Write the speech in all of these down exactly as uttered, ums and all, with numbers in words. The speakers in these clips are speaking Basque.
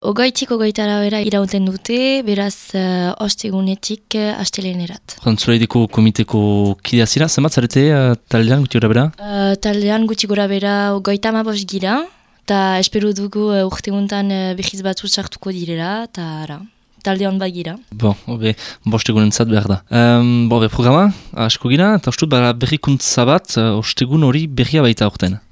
Ogaitik ogaitara bera irauten dute, beraz uh, ostegunetik uh, astelenerat. Zulaideko komiteko kidea zira, zenbat zarete uh, taldean guti gora bera? Uh, taldean guti gora bera ogaita amabos gira, eta espero dugu uh, urteguntan uh, behiz batzu sartuko direla, eta ara. Talde hon bagira. Bon, obe, bostegun entzat behar da. Um, bo, be, programa, asko gira, eta ustut, berrikuntza bat, uh, ostegun hori berria baita aurten.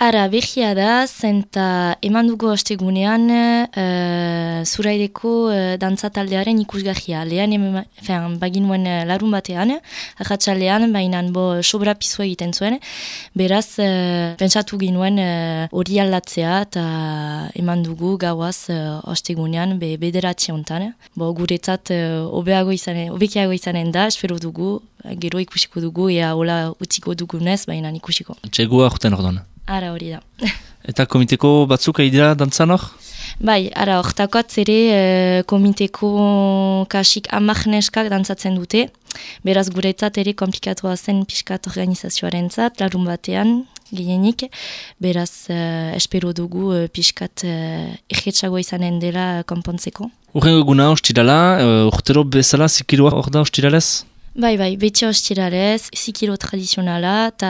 Ara, behia da, zenta eman dugu ostegunean uh, zuraideko uh, dantza taldearen ikusgahia. Lehen, fen, baginuen uh, larun batean, arratsalean, baina bo sobra pizua egiten zuen. Beraz, uh, pentsatu ginuen hori uh, aldatzea eta eman dugu gauaz uh, ostegunean be, bederatzi hontan. Bo, guretzat uh, obeago izanen, obekiago izanen da, espero dugu, gero ikusiko dugu, ea hola utziko dugunez, baina ikusiko. Txegua aurten ordon. Ara hori da. Eta komiteko batzuk aidira dantzan hor? Bai, ara, hortakotz ere e, komiteko kasik amak neskak dantzatzen dute. Beraz guretzat ere komplikatua zen pixkat organizazioaren zat, larun batean, gehienik. Beraz, e, espero dugu e, pixkat e, egetxago izanen dela konpontzeko. Urrengo eguna ostirala, e, urtero bezala zikiroa hor da ostiralez? Bai, bai, beti ostirarez, zikiro tradizionala, eta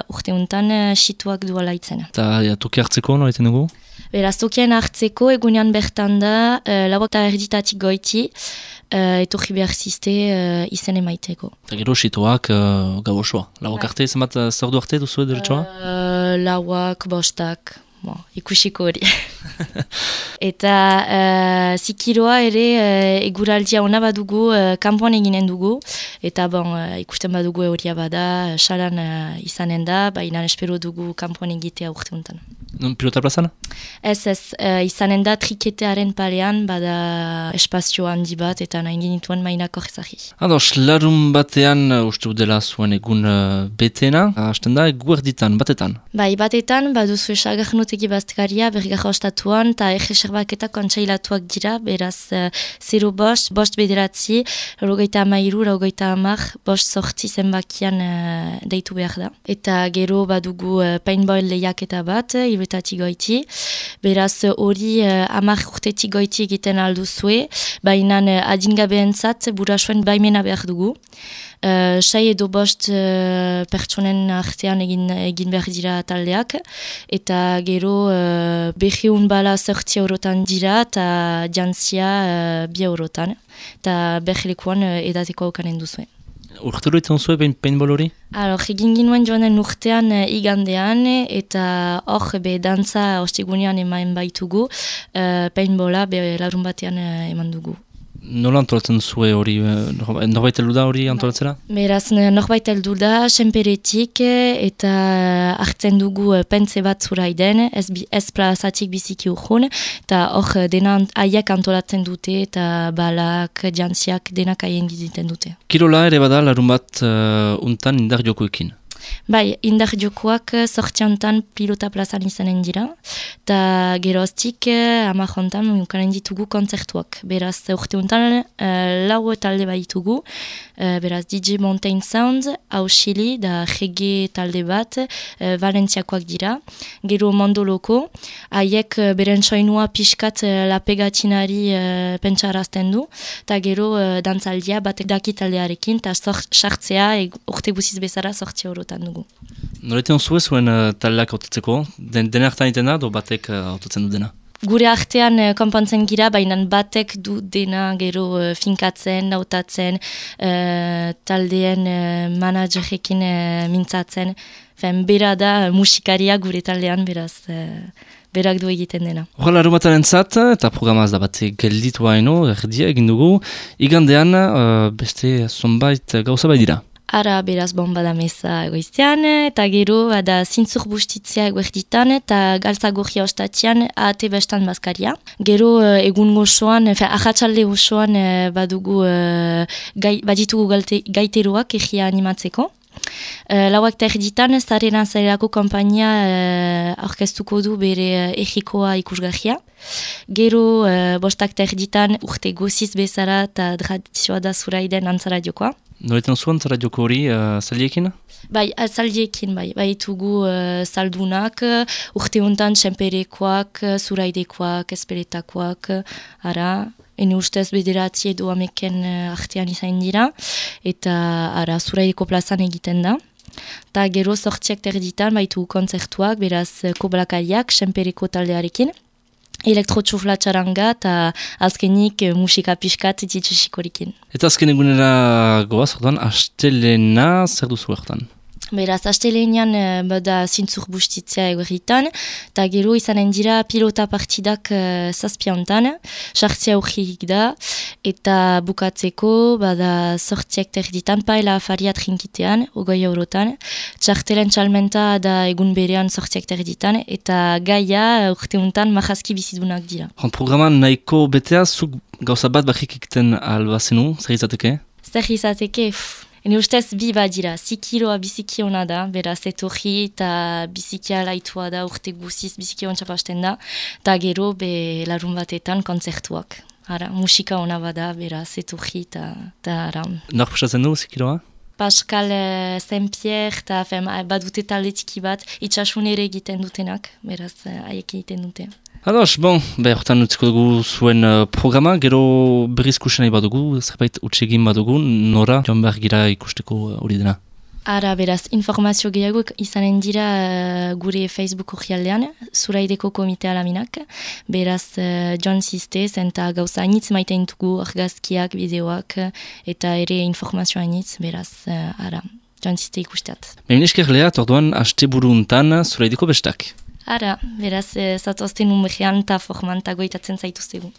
urte honetan situak duala itzen. Eta ja, toki hartzeko, no, eten dugu? Beraz, tokien hartzeko, egunean bertan da, uh, lauak eta erditatik goiti, uh, etorri behar ziste uh, izen emaiteko. Eta gero situak uh, gau osoa. Lauak arte, zenbat zordu arte duzu edo uh, Lauak, bostak. Bon, ikusiko hori. Eta uh, zikiroa ere uh, eguraldia ona badugu, uh, kanpoan eginen dugu, eta bon, uh, ikusten badugu horia bada, salan uh, izanen da, baina espero dugu kanpoan egitea urte honetan. Non pilota plazan? Ez ez, uh, izanen da triketearen palean, bada espazio handi bat, eta nahi genituen mainako ezagi. Ados, larun batean, uh, uste dela zuen egun uh, betena, hasten da, guerditan, batetan? Bai, batetan, baduzu esagarnotegi baztekaria, bergarra ostatuan, eta egeserbaketa kontsailatuak dira, beraz, uh, zero bost, bost bederatzi, rogeita amairu, rogeita amar, bost sortzi zenbakian uh, deitu behar da. Eta gero badugu uh, paintball lehiaketa bat, iretatik goiti, beraz hori uh, amar urtetik goiti egiten alduzue, baina uh, adingabeentzat burasuen baimena behar dugu. Uh, sai edo bost uh, pertsonen artean egin, egin behar dira taldeak, eta gero uh, behiun bala zortzi eurotan dira, eta jantzia uh, bi eurotan, eta behilekuan uh, edateko aukanen duzue. Urtero etan zuen behin paintball hori? Alor, egin ginuen joanen urtean uh, igandean, eta hor be dantza ostegunean eman baitugu, uh, paintballa be larun batean uh, eman dugu. Nola antolatzen zue hori, norbait heldu da hori antolatzera? Beraz, norbait heldu da, senperetik, eta hartzen dugu pentze bat zuraiden, ez, ez plazatik biziki urhun, eta hor dena haiek antolatzen dute, eta balak, jantziak, denak haien giziten dute. Kirola ere bada larun bat uh, untan indar jokoekin? Bai, indar jokoak sortxantan pilota plazan izanen dira, eta geroztik hamar hontan ukanen ditugu kontzertuak. Beraz, urte honetan uh, lau talde baitugu, uh, beraz D J Mountain Sound, Hauxili, da reggae talde bat, uh, Valentziakoak dira, gero Mondoloko, haiek uh, beren soinua pixkat uh, lapegatinari uh, pentsarazten du, eta gero uh, dantzaldia batek daki taldearekin, eta sartzea urte guziz bezala sortzi eurotan dugu. Noretan zuen zuen uh, taldeak autotzeko? Den, dena hartan iten da, do batek uh, autotzen du dena? Gure artean uh, konpontzen gira, baina batek du dena gero uh, finkatzen, nautatzen, uh, taldeen uh, managerekin uh, mintzatzen. Fen, bera da uh, musikaria gure taldean, beraz, uh, berak du egiten dena. Horrela aromataren zat, eta programaz da bat gelditu haino, erdia egin dugu, igandean uh, beste zonbait gauza bai dira. Ara, beraz, bomba da meza egoiztean, eta gero, da zintzur bustitzea eguerditan, eta galtza gorria ostatian, ahate bestan bazkaria. Gero, egun gozoan, ahatsalde gozoan, badugu, gai, baditugu galte, gaiteroak egia animatzeko. Uh, lauak eta erditan, Zarena Zarelako kompainia uh, orkestuko du bere uh, egikoa ikusgahia. Gero, uh, bostak eta erditan, urte goziz bezala eta tradizioa da zuraiden antzaradiokoa. Noretan zuen zara joko hori uh, zaldiekin? Bai, zaldiekin, bai. Bai, tugu uh, zaldunak, uh, urte hontan txemperekoak, uh, zuraidekoak, esperetakoak, uh, ara, ene ustez bederatzi edo ameken uh, artean izan dira, eta ara, zuraideko plazan egiten da. Ta gero sortziak terditan, baitu kontzertuak, beraz, koblakariak, txempereko taldearekin. Elektrotxufla txaranga eta azkenik musika pixkat ditxesikorikin. Eta azken egunera goaz, orduan, astelena zer duzu hortan? Beraz, astelenean bada zintzur bustitzea egorritan, eta gero izanen dira pilota partidak uh, zazpiontan, sartzea urgik da, eta bukatzeko bada sortziak terditan, paela afariat rinkitean, ogoi eurotan, txartelen txalmenta da egun berean sortziak terditan, eta gaia urteuntan mahazki bizidunak dira. Programan nahiko betea, zuk gauza bat bakrik ikten albazenu, zer izateke? Zer izateke, ene ustez bi badira, zikiroa biziki hona da, beraz etorri eta biziki alaitua da, urte guziz biziki hon txapasten da, eta gero be larun batetan kontzertuak. Ara, musika hona bada, beraz etorri eta ara. Nor pasatzen du zikiroa? Pascal uh, Saint-Pierre eta badute talde txiki bat, itxasunere egiten dutenak, beraz haiek egiten dute. Ados, bon, behar hortan utziko dugu zuen uh, programa, gero berriz kusen nahi badugu, zerbait utsegin badugu, nora joan behar gira ikusteko hori uh, dena. Ara, beraz, informazio gehiago izanen dira uh, gure Facebook orrialdean, Zuraideko Komite Alaminak, beraz, uh, John Sistez, eta gauza hainitz maiten dugu argazkiak, bideoak, eta ere informazio hainitz, beraz, uh, ara, John Sistez ikusteat. Behin esker lehat, orduan, haste buruntan Zuraideko bestak. Ara, beraz, zatoazten umrean eta forman eta goitatzen zaituztegu.